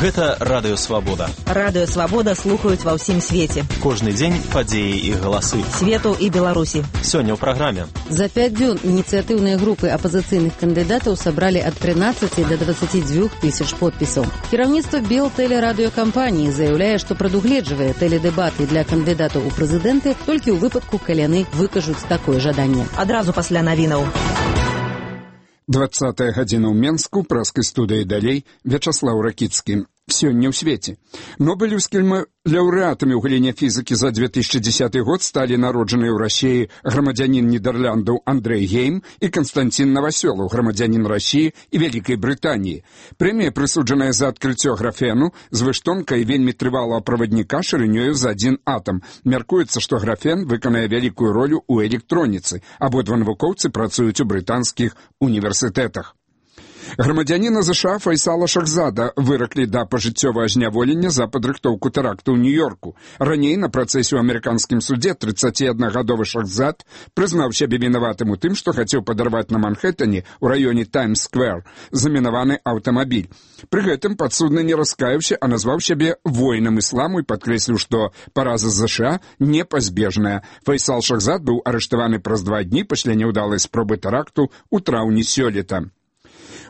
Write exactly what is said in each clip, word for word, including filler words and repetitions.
Гэта Радыё Свабода. Радыё Свабода слухаюць ва ўсім свеце. Кожны дзень падзеі і галасы. Свету і Беларусі. Сёння ў праграме. За пяць дзён ініцыятыўныя групы апазіцыйных кандыдатаў сабралі ад трынаццаці да дваццаці дзвюх тысяч подпісаў. Кіраўніцтва Белтэлерадыёкампаніі заяўляе, што прадугледжвае тэледэбаты для кандыдатаў у прэзідэнты толькі ў выпадку, калі яны выкажуць такое жаданне. Адразу пасля навінаў. двадцатая гадзіна ў Менску, праскай студыі далей, Вячаслаў Ракіцкі. Сёння ў свеце. Нобелеўскімі лаўрэатамі ў галіне фізікі за две тысячи десятый год сталі народжаныя ў Расіі грамадзянін Нідерландаў Андрэй Гейм і Канстантин Новасёлаў, грамадзянін Расіі і Вялікай Брытаніі. Прэмія прысуджаная за адкрыццё графену з выштонкай вельмі трывалага правадніка шырынёю за адзін атам. Мяркуецца, што графен выканае вялікую ролю ў электроніцы. Абодва навукоўцы працуюць у брытанскіх універсітэтах. Грамадзяніна ЗША Файсала Шахзада выраклі да пажыццёвага зняволення за падрыхтоўку тэракту ў Нью-Йорку. Раней на працэсе ў амерыканскім суде трыццаціаднагадовы Шахзад прызнаў сябе вінаватым у тым, што хацеў падарваць на Манхэттане ў раёне Таймс-сквер замінаваны аўтамабіль. Пры гэтым падсудны не раскаяўся, а назваў сябе воінам ісламу і падкрэсліў, што параза ЗША непазбежная. Файсал Шахзад быў арыштаваны праз два дні пасля няўдалай спробы тэракту ў траўні сёлета.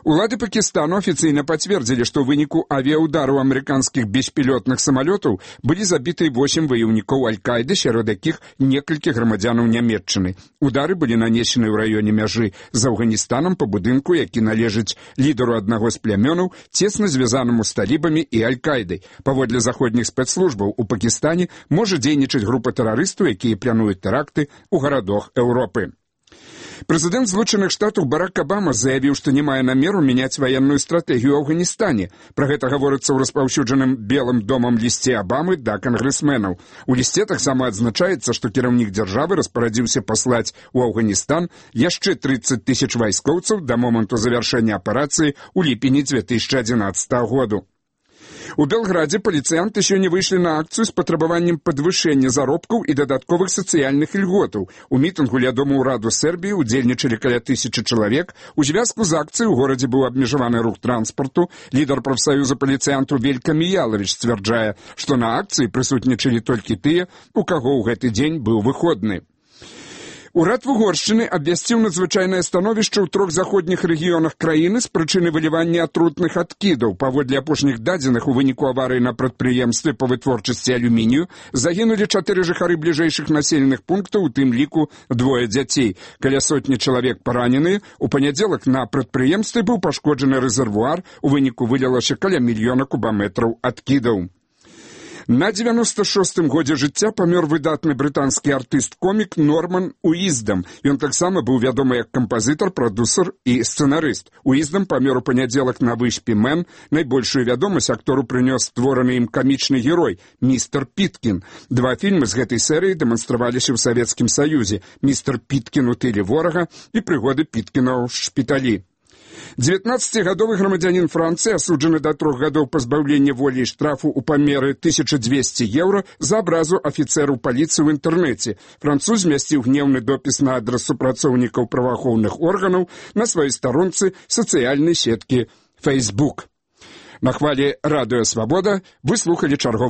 Улады Пакістану афіцыйна пацвердзілі, што ў выніку авіяўдараў амерыканскіх беспілётных самалётаў былі забіты восем ваяўнікоў Аль-Каіды, сярод якіх некалькі грамадзянаў Нямецчыны. Удары былі нанесены ў раёне мяжы з Афганістанам па будынку, які належыць лідару аднаго з плямёнаў, цесна звязанаму з талібамі і Аль-Каідай. Паводле заходніх спецслужбаў у Пакістане можа дзейнічаць група тэрарыстаў, якія плануюць тэракты ў гарадах Еўропы. Прэзідэнт Злучаных Штатаў Барак Абама заявіў, што не мае намеру мяняць ваенную стратэгію ў Афганістане. Пра гэта гаворыцца ў распаўсюджаным Белым домам лісце Абамы да кангрэсменаў. У лісце таксама адзначаецца, што кіраўнік дзяржавы распарадзіўся паслаць у Афганістан яшчэ трыццаць тысяч вайскоўцаў да моманту завяршэння аперацыі ў ліпені две тысячи адзінаццатага году. У Белградзе паліцыянты сёння выйшлі на акцыю з патрабаваннем падвышэння заробкаў і дадатковых сацыяльных ільготаў. У мітынгу ля Дому ўраду Сербіі удзельнічалі каля тысячы чалавек. У звязку з акцыяй у горадзе быў абмежаваны рух транспарту. Лідар прафсаюза паліцыянтаў Велька Міялавіч сцвярджае, што на акцыі прысутнічалі толькі тыя, у каго ў гэты дзень быў выходны. Урад Угоршчыны абвясціў надзвычайнае становішча ў трох заходніх рэгіёнах краіны з прычыны вылівання атрутных адкідаў. Паводле апошніх дадзеных, у выніку аварыі на прадпрыемстве па вытворчасці алюмінію загінулі чатыры жыхары бліжэйшых населеных пунктаў, у тым ліку двое дзяцей. Каля сотні чалавек параненыя. У панядзелак на прадпрыемстве быў пашкоджаны рэзервуар, у выніку вылілася каля мільёна кубаметраў адкідаў. На дзевяноста шостым годзе жыцця памёр выдатны брытанскі артыст-комік Норман Уиздам. Ён таксама быў вядомы як кампазітар, прадусер і сцэнарыст. Уиздам памёр у панядзелак на выспе Мэн. Найбольшую вядомасць актору прынёс створаны ім камічны герой містер Піткін. Два фільмы з гэтай серыі дэманстраваліся ў Савецкім Саюзе: містер Піткін у тыле ворага і прыгоды Піткіна ў шпіталі. дзевятнаццацігадовы грамадзянін Францыі асуджаны да трох гадоў пазбаўлення волі і штрафу ў памеры тысяча дзвесце еўра за абразу афіцэру паліцыі ў інтэрнэце. Француз змясціў гнеўны допіс на адрас супрацоўнікаў праваахоўных органаў на сваёй старонцы сацыяльнай сеткі Facebook. На хвалі Радыё Свабода вы слухалі чарговы